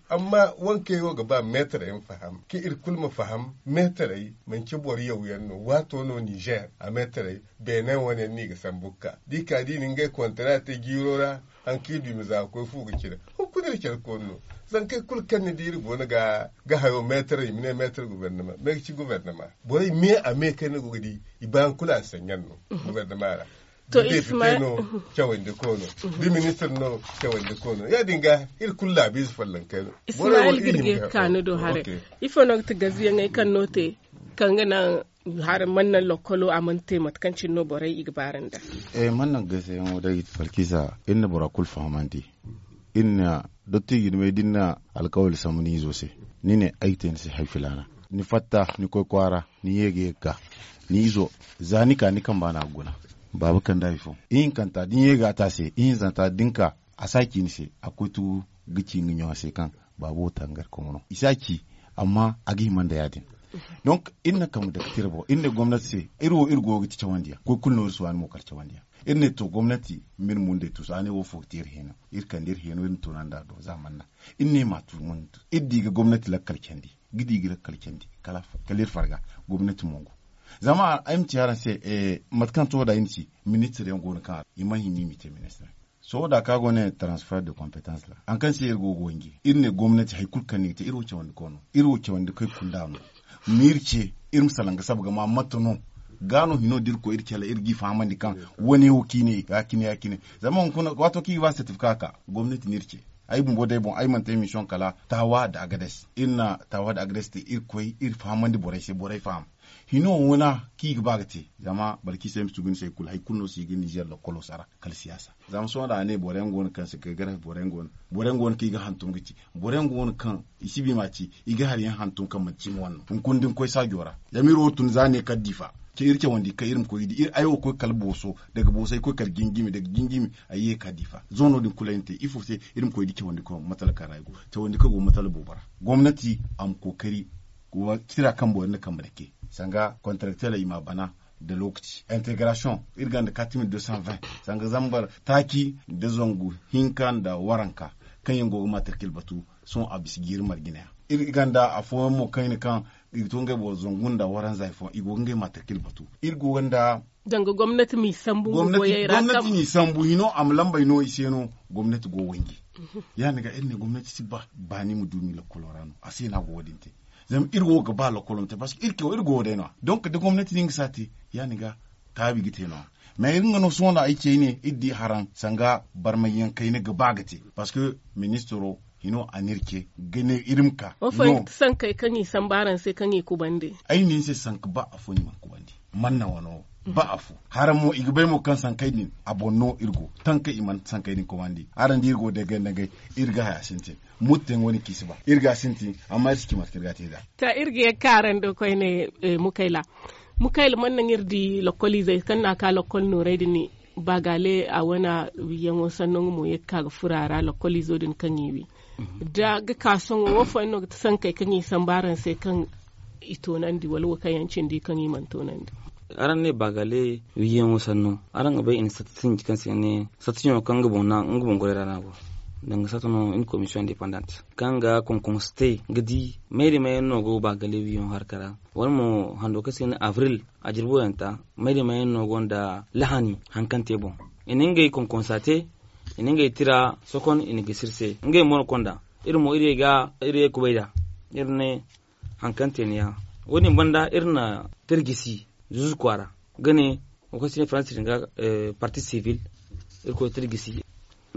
Amma wankey wo ga ba meetare yaŋ faham kaŋ iri kulu ma faham meetarey manci boro yaw yaŋ no waato no nizer a meetarey beene wane yaŋ no i ga sambu ga ka da i ka da i na ngey kontara te jiiro ra. Haŋ kaŋ i du i ma za ga koy fu ga cire hunkuna iri care koonu no. Zankey kulu kaŋ ni di iri go no ga hayo meetare i ma ne meetare gubernama me ga ci gubernama borey me a me kaŋ ni go ga di i ba yaŋ kulu a saɲɲaŋ no. Gubernama ra da depite no cawandi ko no da ministir no cawandi ko no ya- din ga iri kulu laabiize follonkey no. Ismail girge ga kaanu do haray. Ifo no ga ti gaziyaŋey kaŋ no te kaŋ ga naŋ hari mana naŋ lokkolo a mana te mate kaŋ cine no borey i ga baarandi a? Man naŋ gaziyaŋo day balkisa iri na bora kulu fahamandi. Iri na dotti jirmey da iri na alkawali sambu ni izo se ni ne ay ga te ni se hari filaana. Ni fatta ni koy kwaara ni ye ga ye ga ka ni izo za ni ka ni kamba no a ga guna. Baaba kanda hari fo ihinkanta da ni ye ga a te a se ihinzanta da ni ka a si a ci ni se a ga koy tugu ga ci nga ɲaŋo se kaŋ baaba wo tangar komo no i si a ci. Amma a ga hima nda ya- din. Donk iri na kambe dake tira boŋ iri ne gomnati se iri wo iri go ga ti cawandiyaŋ koy kulu no iri si waani mo kala cawandiyaŋ. Iri ne to gomnati ma iri mundey tuusu a ne wo fo ga te iri heeno iri kande iri heeno iri na toona nda a do za a mana naŋ. Iri ne ma a tuuru mana tuusu iri di ga gomnati lakkal candi ga di ga lakkal candi kala iri farga gomnati mongu. Zama ay ma ci araŋ se mate kaŋ to da ay na ci ministir yaŋ go no kaŋ i mana hima i ma i te ministir. Sohõ da kaŋ a go ne transfer de competence ra haŋ kaŋ se iri go ga wanji iri ne gomnati hari kulu kaŋ ni ga te iri wo cawandi koy no iri wo cawandi koy kunda no. Ma iri ce iri ma salaŋ ga saba ga ma mate no ga no hino da iri koy iri cala iri g'i fahamandi kaŋ wane wo kaŋ i ne ya cine ya cine. Zama hunkuna waato kaŋ i ga ba certificat ka gomnati no iri ce. Ay bumbo day boŋ ay mana te mission kala taawa nda agades iri na taawa nda agades te iri koy iri fahamandi borey se borey faham. Hino wana kaŋ i ga ba ga te zama balkiisa ay ma sugu ni se kulu hari kulu no si ga nizer lakkolo sara kala siyaasa. Zama sohõ da a ne boro yaŋ go no kaŋ si kay garafi boro yaŋ go no kaŋ i ga hantum ga ci boro yaŋ go no kaŋ i si bi ma ci i ga hari yaŋ hantum kaŋ manti cimi wane no hunkuna da ni koy saajo ra. Zama iri wo tun za ne kala diifa ce iri cawandi kaŋ iri ma koy ga di iri ay wo koy kala booso daga booso ay koy kala jinjimi daga jinjimi ay ye ga ka diifa zoono din kulu ay na te ifo se iri ma koy ga di cawandi kaŋ matala kaŋ ra ay go cawandi kaŋ go matala boobo ra. Gomnati a ma kookari tira kambo iri na kambe dake sanga kontrakteley i ma a bana nda lookaci integarasiyoŋ iri gonda katimil deux cent vingt sanga zambar taaci nda zangu hinka nda waranka kaŋ yaŋ go ga matarkil batu. Sohõ a bisa jiiri marjina yaŋ iri gonda afooyaŋ mo kaŋ i na kaŋ i ga to ngey boro zangu nda waranza hari fooyaŋ i go ga ngey matarkil batu. Iri go ga nda danga gomnati m'i sambu nga goyey ra gomnati m'i sambu hino a ma lambey no i se no. Gomnati go wanji ya- din ga iri ne gomnati si ba baani ma du m'i lakkolo ra no a se no a go wo- din te. Zama iri wo ga ba lakkolo ma te parceque iri go wo day no- ya donk da gomnati no nga si a te ya- din ga taabi ga te no- ya mais iri nga no sohõ no ay ce ay ne iri di haraŋ sanga barmay yaŋ kayna ga ba ga te. Parceque ministiro hino a n'iri ce ga ne iri ma ka. Wo fooyaŋ ga ti sankey kaŋ i sambu araŋ se kaŋ i kubandi? Ay ne ni se sanka ba afo ni mana kubandi. Manna wano wo ba afo haraŋ mo i ga bay mo kaŋ sankey din a boŋ no iri go taŋ kaŋ i mana sankey din kubandi araŋ di iri go dagay dagay. Iri ga haya sintin mutteŋ wane kaŋ i si ba iri ga sintin amma iri si ci mate kaŋ iri ga te nd'a. Ta iri ga ye ga ka araŋ do koyne. Mukayla mukayla mana naŋ iri di lokkoliizey kaŋ no a ka lokkol noorey din. Baagale a wane wiiyaŋo sanno nga mo ye ga ka ga furo a ra lokkoliizo din kaŋ i wi da ga ka sohõ wo fooyaŋ no ga ti sankey kaŋ i sambu araŋ se kaŋ i toonandi wala wo kaŋ yaŋ cindi kaŋ i mana toonandi? Araŋ ne baagale wiiyaŋo sanno araŋ ga bay i na satta sinji kaŋ se ne satta sinjo kaŋ nga boŋ goray ra no a go. Danga satta no iri na komisiyoŋ indepandant kaŋ ga konkonse te ga di mayri mayaŋ no go baagale wiiyaŋo harka ra wala mo hando kaŋ se ne abril a jirbo yaŋ ta. Mayri mayaŋ no gonda lahani haŋ kaŋ te boŋ i na ngey konkonsa te. I na ngey tira sokon i na gisi iri se ngey mo no konda iri mo iri ye ga iri ye kubay nd'a. Iri ne haŋ kaŋ te ni ya wo- din banda iri na tirjisi zuzu kwaara ga ne wo kaŋ se ne faransi din ga parti sivil. Iri koy tirjisi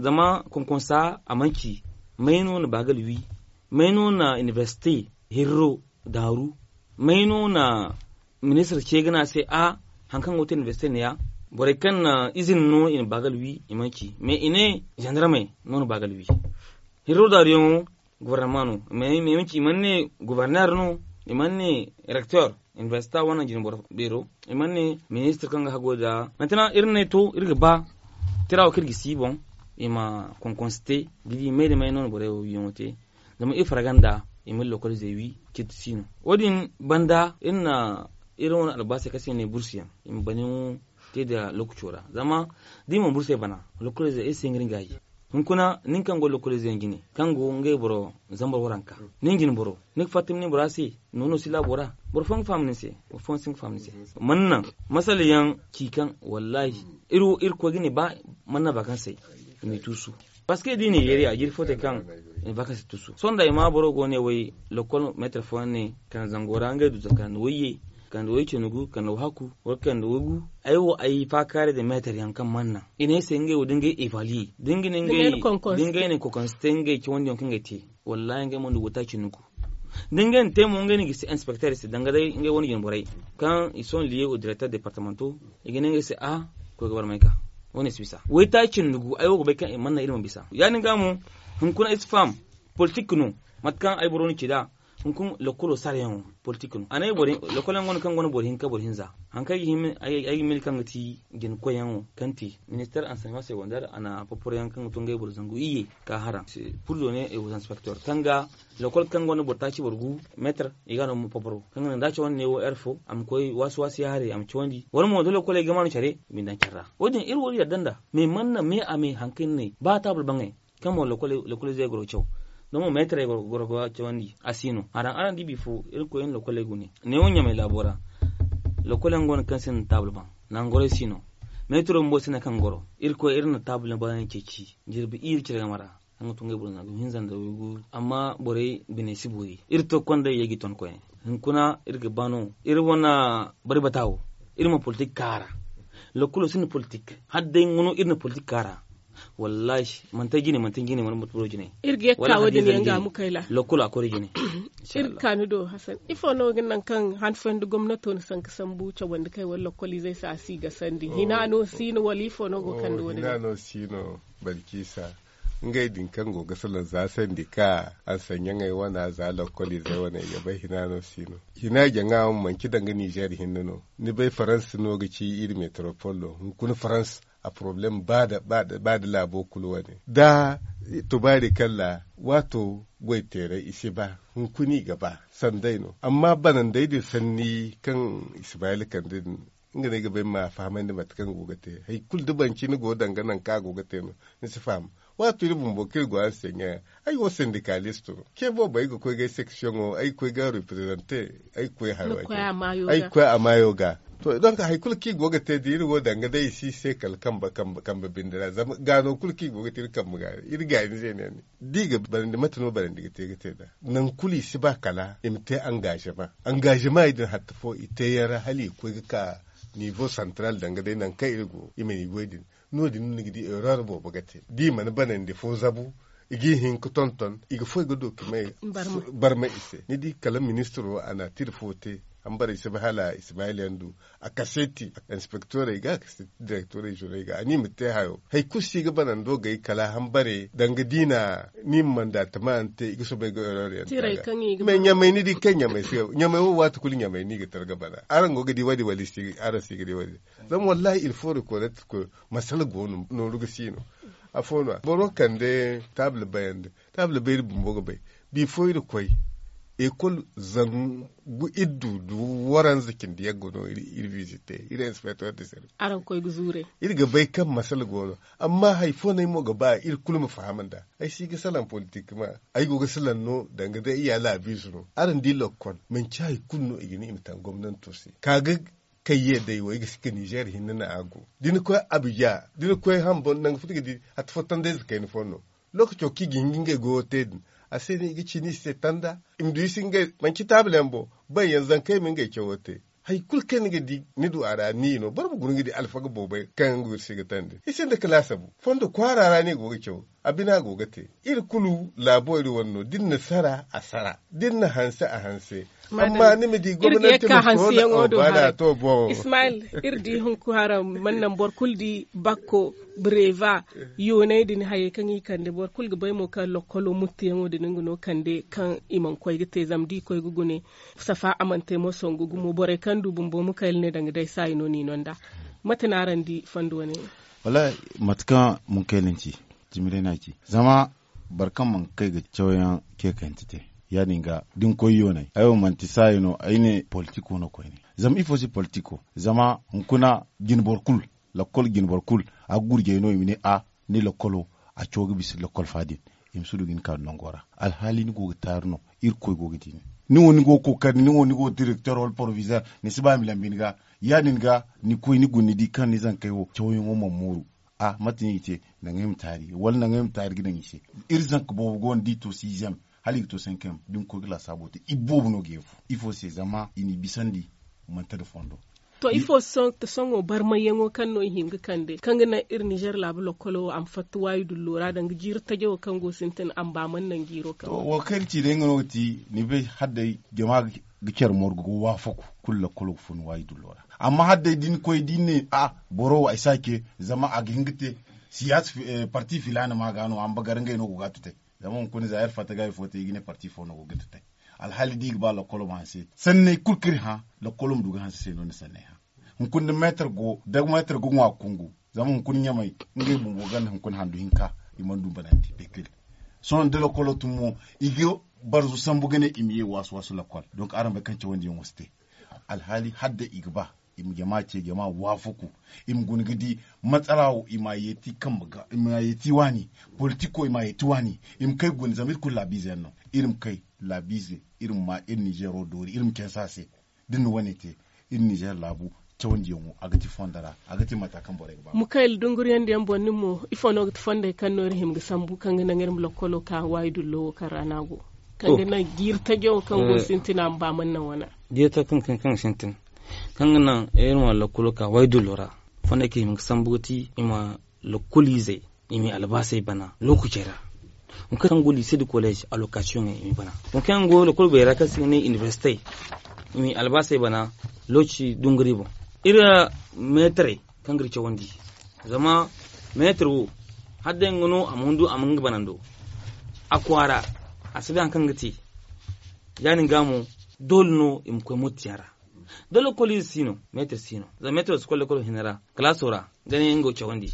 zama konkonsa a mana ci may no na baagal wi may no na inibersite hirro daaru may no na ministir ce ga ne a se a haŋ kaŋ go ga te inibersite ne ya. Borey kaŋ na izin no i na baagal wi i mana ci mais i ne zandarmey no na baagal wi. Hirro daaru yaŋo gobornama no mais i mana ne goborner no, i mana ne rektor inibersita wane jine boro beero, i mana ne ministir kaŋ ga hago nda. Manti naŋ iri ne to iri ga ba tira wo kaŋ iri ga si boŋ i ma konkonsi te ga di may da may no na borey wo wiyaŋo te. Zama iri farga nda i ma iri lokolize wi ciiti si no. Wo- din banda iri na iri wane albaasey kaŋ se i ne bursu yaŋ i ma baniyaŋo te nda lokaco ra zama da i mana bursu yaŋ bana lokolize iri se nga iri ga hayi. Hunkuna nin kaŋ go lokolize yaŋ jine kaŋ go ngey boro zambar waranka, nin jine boro ni ga fatta ma ne bora se nono si laabo ra. Boro fooyaŋ ga faham nin se, boro fooyaŋ si ga faham nin se. Mana naŋ masala yaŋ ci kaŋ wallahi iri wo iri koy ga ne ba mana naŋ ba kaŋ se i m'i tuusu. Parce que da i na yeeri a jiri fo te kaŋ i na vakansi tusu sohõ da i ma boro go ne way lokol meetar fooyaŋ ne kande zango ra ngey du za kande wayye, kande way cindi gu kande way hakku wala kande way gu. Ay wo ay faakaaray da meetar yaŋ kaŋ mana naŋ i ne ay se ngey wo da ngey evaluer da ngey ne kokonsi te ngey cawandi yaŋ kaŋ ngey te. Wallahi ngey mana du wata cindi gu da ngey na te mo ngey no ga si inspekter se danga day ngey wane jine borey kaŋ i sohõ liye au directeur departemanto. I ga ne ngey se a koy ga barmay ka wane si bisa waytaaci nda gu ay wo ga bay kaŋ i mana naŋ iri ma bisa ya- din ga mo. Hunkuna ay si faham politik no mate kaŋ ay boro na ci nd'a. Hunkuna lokolo sarayaŋo politik no a ne ay boro lokolo yaŋ go no kaŋ go no boro hinka boro hinza. Hari kaŋ ay ga hin ay ga mil kaŋ ga ti jina koyyaŋo kaŋ ti minister anseɲement segonder a na paporoyaŋ kaŋ ga to ngey boro zangu iyye ka hara purzo ne ay wo zanspector kaŋ ga lokol kaŋ gonda boro taaci boro gu meetar i ga no ma paparo kaŋ ga naŋ da a cawandi ne wo ere fo a ma koy waasi waasi ya haray a ma cawandi wala mo da lokoley ga maanu care i ma ni daŋ care ra. Wo- din iri wo iri yadda nd'a me mana me a me hari kaŋ ni ne ba taabul baŋey kaŋ mo lokoley zey goro ga caw. Da mo meetarey goro ga cawandi a si no araŋ araŋ di bifo iri koy iri na lokoley gune. Neewo ɲamay laabo ra lokoley yaŋ go no kaŋ sinda taabul baŋ. Nangu gorey si no meetaro bumbo sinda kaŋ goro. Iri koy iri na taabul yaŋ baŋ yaŋ ceeci jirbi iri cire game ra. Kaŋ ga tun ga ay boro zangu hinza nda waygu amma borey biney si boori iri to konda yayga ton koyne. Hunkuna iri ga ba no iri wane bari bata wo iri ma politik kaara. Lokkulo sinda politik hala day nga no iri na politik kaara. Wallahi manti ay jine manti ay jine wala manti boro jine. Iri ga yekka wo- din yaŋ ga mu kayla lokkulo a koy da jine. Iri ga ka ni do hasan ifo no ga naŋ kaŋ han fooyaŋ da gomnato na sanka sambu cawandi kay wala lokkoliizey se a si ga sandi hina no si no wala ifo no go ga kande wo- din. Barciisa ngey din kaŋ go ga salaŋ za sandi ka ansaɲaŋey wana za lokkoliizey wana i ga bay hina no si no. Hina jaŋa wo manci danga nizer hinne no. Ni bay farans no ga ci iri meteropol do hunkuna farans a poroblem ba da laabo kulu wane da tubaari kalla waato goy teeray i si ba hunkuna i ga ba sanday no amma banandey din sanni kaŋ ismayil kande din. Nga no ay ga bay ma fahamandi mate kaŋ go ga te hari kulu da banci ni go danga nangu kaŋ a go ga te no. Ni si faham waato iri bumbo kaŋ iri go araŋ se ɲa. Ay wo sendikalisto no ce boobo ay ga koy ga ay seksiyoŋo ay ga koy ga reprezante ay ga koy haro ay ga koy a maayo ga. To donk hari kulu kaŋ i go ga te da iri wo danga day i si se kala kambe binde ra zama gaano kulu kaŋ i go ga te iri kambe ga iri gaani ze ne ni da i ga barandi mate no barandi ga te ga te nd'a. Nangu kulu i si ba kala i ma te angazema. Angazema i din hatta fo i te yaŋ ra hala i ga koy ga ka nivo santaral danga day nangu kaŋ iri go i ma ni goy din. No- din no ni ga di erreur boobo ga te da i mana banandi fo zabu i ga i hin ga tonton i ga foy ga document barmay i se ni di kala ministiro a na a tira fo te. Hambarey si ba hala ismayil yaŋ du a kaseeti inspektorey ga a kaseeti direktorey zoney ga a ni ma te hayo hari kulu si ga banando gay kala hambare danga diina ni ma manda tama yaŋ te i ga soobay ga erreur yaŋ te a ga. Mais ɲamay ni di kaŋ ɲamay wo waati kulu ɲamay no i ga tar ga bana araŋ go ga di wo- din wala araŋ si ga di wo- din. Zama wallahi il faut reconnaître que masala go no nooru ga si no. Afo no boro kande taabila bayandi taabila bayri bumbo ga bay. Bifo iri koy ekol zangu iri du du waranza cindi yaggo no iri visite iri inspector de service. Araŋ koy ga zuure iri ga bay kaŋ masala go no. Amma hari fo no ay mo ga ba iri kulu ma faham nd'a. Ay si ga salaŋ politik ma ay go ga salaŋ no danga day iya laabiize no araŋ di lokkol manci hari kulu no i ga ne i ma taŋ gomnanto se ka ga kayye day wo ay ga si ga nizer hinne no a go da ni koy abuja da ni koy hamba nangu fo ni ga di hatta fo tandayze kayna fo no. Lookaco kaŋ i ga hin ga ngey goyo te din a se no i ga ci no i se tanda i ma du i se ngey manci taabila yaŋ boŋ. Bay yaŋ zankey ma ngey cawo te. Hari kulu kaŋ ni ga di ni du a ra ni no boro ma guna ga di alfaga boobay kaŋ yaŋ go iri se ga tandi i sinda kalaasa bu fondo kwaara ra no i go ga caw. A bina go ga te iri kulu laabo iri wane no da iri na sara a sara da iri na hanse a hanse. Amma ni ma di gomnati ma koona a baana to boŋo. Ismail, iri di hunku haraŋ mana naŋ boro kulu di bakko, breva, yoonay din hayey kaŋ i kande boro kulu ga bay mo kaŋ lokkolo muttiyaŋo din nga no kande kaŋ i mana koy ga te zama da i koy ga gune. Safa a mana te mo songu gumo borey kaŋ du bumbo mukayla ne danga day saayi no no i no nd'a. Mate no araŋ di fondo wane? Wallaahi, mate kaŋ mukayla ni ci, jimiray no a ci. Zama boro kaŋ mana kay ga cawyaŋ ce kayante te, ya- din ga da ni koy yoonay ay wo manti saayi no ay ne politiko no koyne. Zama ifo se politiko? Zama hunkuna jine boro kulu, lakkol jine boro kulu, a ga gurjay no i ma ne a ni lakkolo, a caw ga bisa lakkol fa din. I ma si du ga ni ka nango ra. Alhaali ni go ga taaru no. Irkoy go ga di ni. Ni wo ni go ga kookari ni wo ni go ga direkter wala porovizer, ni si ba i ma lambi ni ga. Ya- din ga ni koy ni guna ni di kaŋ ni zankey wo cawyaŋo mana mooru. A mate no i te? Naŋ ay ma taari wala naŋ ay ma taari ga daŋ i se. Iri zanka boobo go no da i to siizem hala i ga to sankayam da ni koy ga laasaabo te i boobo no ga yeefu. Ifo se? Zama i n'i bisandi manti nda fondo. To ifo sohõ barmayyaŋo kaŋ no i hin ga kande kaŋ ga naŋ iri nizer laabu lokkolo wo a ma fatta waayi dullo ra danga jiiri tajo wo kaŋ go sintin a ma ba mana naŋ jiiro kaŋ. To wo kaŋ iri ci day nga no ga ti ni bay hala day jama ga care morgo ga waafaku kulu lokkolo ga fun waayi dullo ra. Amma hala day da ni koy da ni ne a boro wo ay si a ce zama a ga hin ga te siyaasa parti filaana ma ga no a ma ba gar ngey no go ga a tutay. Zama hunkuna za iri fatta ga ifo te i ga ne parti fo no go ga tutay. Alhaali da i ga ba lakkolo ma hanse sanney kulu kaŋ iri hã lakkolo ma du ga hanse se no ni sanney hã. Hunkuna da meetar go da meetar ga ŋwa kungu zama hunkuna ɲamay ngey bumbo ganda hunkuna handu hinka. I mana du banandi bekil. Sohõ da lakkolo tun mo i ga barzu sambu ga ne i ma ye waasu waasu lakkol donk araŋ bay kaŋ cawandiyaŋo si te. Alhaali hala day i ga ba i ma jama ce jama waafaku. I ma guna ga di matsala wo i ma a yeeti kambe ga i ma a yeeti waani. Politiko i ma a yeeti waani. I ma kay guna zama iri kulu laabiize yaŋ no. Iri ma kay laabiize iri ma ma iri nizeero doori iri ma canse a se. Da ni na wane te iri nizeer laabu cawandiyaŋo a ga ti fondo ra. A ga ti mata kaŋ borey ga ba. Mukayla dunguriyandiyaŋ boŋ nin mo ifo no ga ti fondey kaŋ no iri hima ga sambu kaŋ ga naŋ iri ma lokkolo ka waayi dullo wo kaŋ ra no a go kaŋ ga naŋ jiiri tajo wo kaŋ go sintina ma ba mana naŋ wana. Jiiri tajo kaŋ ga sintin kaŋ ga naŋ iri ma lokkolo ka waayi dullo ra. Fondey kaŋ i hima ga sambu ga ti i ma lokkoliizey i m'i albaasey bana lookacey ra. Hunkuna kaŋ go liise nda kolleez alokasiyoŋey i m'i bana. Hunkuna kaŋ go lokol beera kaŋ se i ga ne inibersite i m'i albaasey bana lookaci dunguri boŋ. Iri meetarey kaŋ ga iri cawandi zama meetar wo hala day nga no a ma hundu a ma nga banando. A kwaara a si bay hari kaŋ ga te. Ya- din ga mo doole no i ma koy mottiyaŋ ra. Da lokoliize si no meetar si no zama meetaro si koy lokol hinne ra kalaaso ra ga ne nga wo cawandi.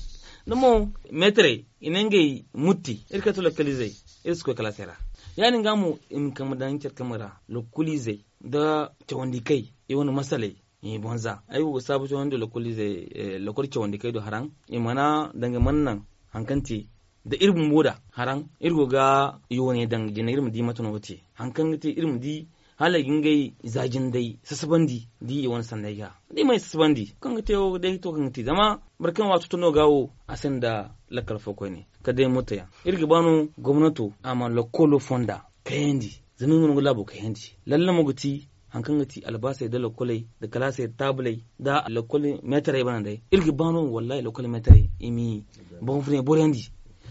Da mo meetarey i ne ngey mutti iri kaŋ ti lokoliizey iri si koy kalaasey ra. Ya- din ga mo i ma kambe daŋ care kambe ra lokoliizey nda cawandikey i wane masaley i ma boŋ za ay wo ga saabu cawandi nda lokoliizey lokol cawandikey do haraŋ i mana danga mana naŋ hari kaŋ te da iri bumbo da haraŋ iri go ga yooney daŋ jina iri ma di mate no ga te hari kaŋ ga te iri ma di hala i ga ngey za jindey sasabandi da i wane sanney ga da i mana sasabandi kaŋ ga te wo day to kaŋ ga te zama boro kaŋ waato to no ga wo a sinda lakkal fo koyne kala day moto yaŋ iri ga ba no gomnato a ma lakkolo fonda kayandi zama i ma no ga laabo kayandi lalle mo ga ti hari kaŋ ga ti albaasey nda lakkoley nda kalaasey nda taabuley nda lakkol meetarey bana day iri ga ba no wallaahi lakkol meetarey i m'i boŋ furɲe boroyandi.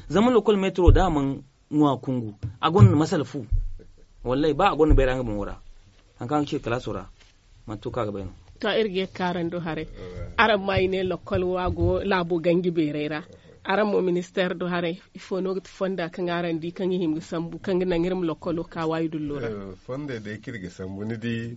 Zama lakkol meetaro da a mana ŋwa kungu a gonda masala fu. Wallaahi ba a gonda bayra nga boŋo ra hari kaŋ a ga ci kalaaso ra manti to kaŋ a ga bay no. To iri ga ye ga ka araŋ do haray. Araŋ ma i ne lakkol wo a go laabo ganji beeray ra. Araŋ mo ministeer do haray ifo no ga ti fonda kaŋ araŋ di kaŋ i hima ga sambu kaŋ ga naŋ iri ma lakkolo ka waayi dullo ra? Fondey day kaŋ iri ga sambu ni di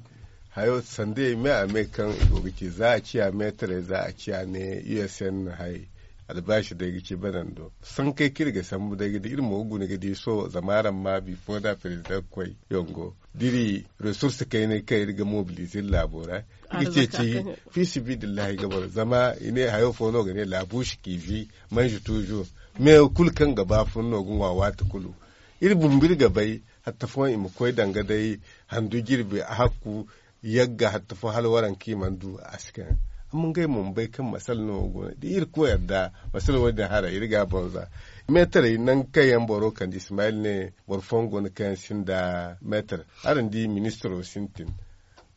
hayo sanda i me a me kaŋ i go ga ci za a ciya meetarey za a ciya ne usn hay. Albaasi day ga ci banando sankey kaŋ iri ga sambu day ga di iri mo ga guna ga di sohõ zama araŋ ma bifo nda perezidaŋ koy yongo da iri resurse kaynay kaŋ iri ga mobilize iri laabo ra. I ga ceeci fi sibidillahi ga boro zama i ne hayo fo no ga ne laabu si kiifi manzi tuuzu. Me kulu kaŋ ga ba fun no ga ŋwa waati kulu. Iri bumbo iri ga bay hatta fooyaŋ i ma koy danga day handu jirbi a hakku yagga hatta fo hala waranka i mana du a si kaŋ. Amma ngey mo ma bay kaŋ masala no go no da iri koy yadda masala wo- din haray iri ga a boŋ za. Meetarey nangu kaŋ yaŋ boro kande ismayil ne boro fooyaŋ go no kaŋ yaŋ sinda meetar. Araŋ di ministiro sintin.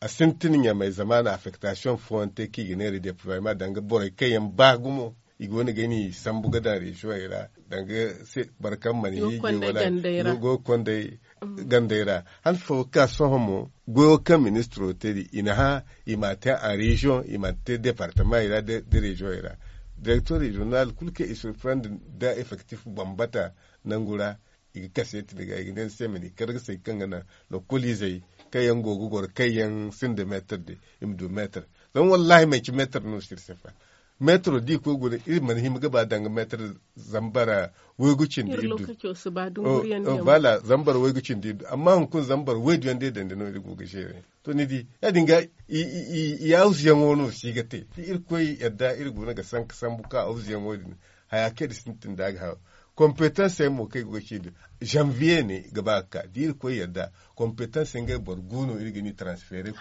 a sintin ɲamay zamaana affektasiyoŋ fooyaŋ te kaŋ i ga ne redeployma danga borey kaŋ yaŋ ba gumo i go no ga ni sambu ga daŋ reziyoŋey ra danga boro kaŋ mana hiiji wala go ga konday gandey ra. Han fo ga ka sohõ mo goyo kaŋ ministiro te din i na hã i m'a te en reziyoŋ i m'a te departamaŋey ra da reziyoŋey ra. Direktor reziyonal kulu kaŋ i surprendre nda effektif bambata nangu ra i ga kase ti ni ga i ga ne ni se ma ni kar ga say kaŋ ga naŋ lokoliizey kaŋ yaŋ go ga goro kaŋ yaŋ sinda meetar din i ma du meetar. Zama wallahi manci meetar no si iri se fa. Meetaro da i koy guna iri mana hima ga ba danga meetar zambara waygu cindi iri du. Bala zambara waygu cindi du amma hunkuna zambara waydu yaŋ day dandi no iri go ga zeere. To ni di ya- din ga i awuzuyaŋo no si ga te da irkoy yadda iri guna ga sanka sambu ka awuzuyaŋo din haya kaŋ iri sintin da ga haw kompetansey mo kaŋ i go ga ci din. Zanviye ne ga ba ga ka da irkoy yadda kompetansey ngey boro gu no iri ga ni transfere.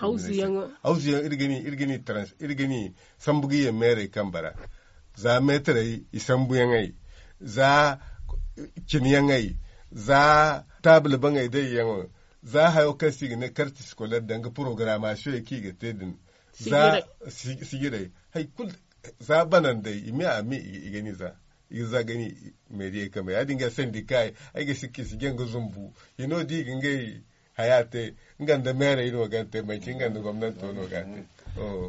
Awuzuyaŋo iri ga ni sambu ga ye meerey kambe ra. Za meetarey i sambuyaŋey za cinyaŋey za taabila baŋey dayyaŋo za hayo kaŋ se i ga ne karti sikoler danga porogaramasiyoŋey kaŋ i ga te din. Za sijirey hari kulu za banandey i me a me i ga ni za i ga za ga ni meediyey kambe ya- din ga sendikayey ay ga sikka i si jaŋ ga zumbu hino da i ga ngey haya te. Nga nda meerey no ga ni te manci nga nda gomnanto no ga ni te.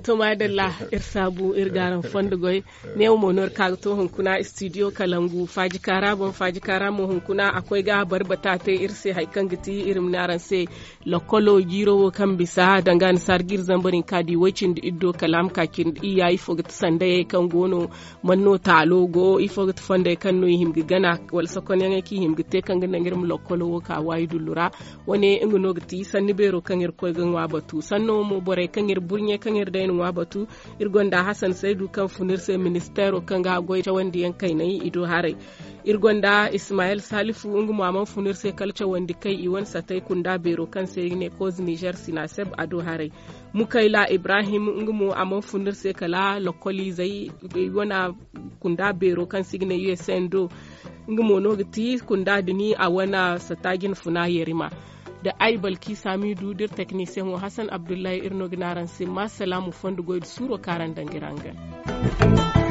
To maadalla iri saabu iri ga araŋ fondo goy. Neewo mo no iri ka ga to hunkuna studio kalangu faaji kaara boŋ faaji kaara mo hunkuna a koy ga barbata te iri se hari kaŋ ga ti iri ma ne araŋ se. Lokolo jiiro wo kaŋ bisa danga annasaara ga iri zambar hinka di way cindi iri do kala a ma ka cindi iyya ifo ga ti sandayey kaŋ go no? Man no taalo go ifo ga ti fondey kaŋ no i hima ga gana wala sokonyaŋey kaŋ i hima ga te kaŋ ga naŋ iri ma lokolo wo ka waayi dullu ra. Wane nga no ga ti sanni beero kaŋ iri koy ga ŋwa batu sanno mo borey kaŋ iri burɲe kaŋ iri day na ŋwa batu. Iri gonda hasan saydu kaŋ fun iri se ministeero kaŋ ga goy cawandiyaŋ kaynay i do haray. Iri gonda ismayel salifu nga mo a mana fun iri se kala cawandi kay i wane satay kunda beero kaŋ se i ga ne koz nizer sinaseb a do haray. Mukayla ibrahim nga mo a mana fun iri se kala lokoliizey i wane kunda beero kaŋ se i ga ne usn do. Nga mo no ga ti kunda dini a wane sata jina funa yerima. Da ay balki samidu da iri teknisiyaŋo hasan abdullahi iri no ga ne araŋ se ma salaamu fondo goy da suuro kaŋ araŋ daŋ ga iri hangan.